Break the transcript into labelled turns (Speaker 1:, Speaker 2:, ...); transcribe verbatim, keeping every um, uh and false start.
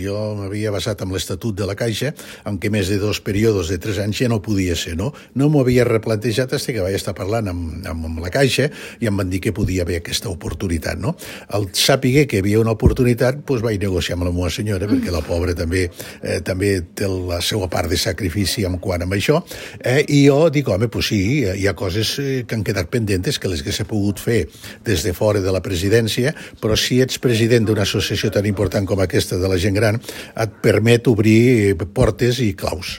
Speaker 1: Jo m'havia basat en l'Estatut de la Caixa, en què més de dos períodes de tres anys ja no podia ser, no? No m'ho havia replantejat fins que vaig estar parlant amb, amb, amb la Caixa i em van dir que podia haver aquesta oportunitat, no? Al saber que hi havia una oportunitat, doncs vaig negociar amb la meva senyora, mm. perquè la pobra també eh, també té la seva part de sacrifici en quant a això, eh, i jo dic, home, doncs sí, hi ha coses que han quedat pendentes, que les que s'ha pogut fer des de fora de la presidència, però si ets president d'una associació tan important com aquesta de la gent gran, et permet obrir portes i claus.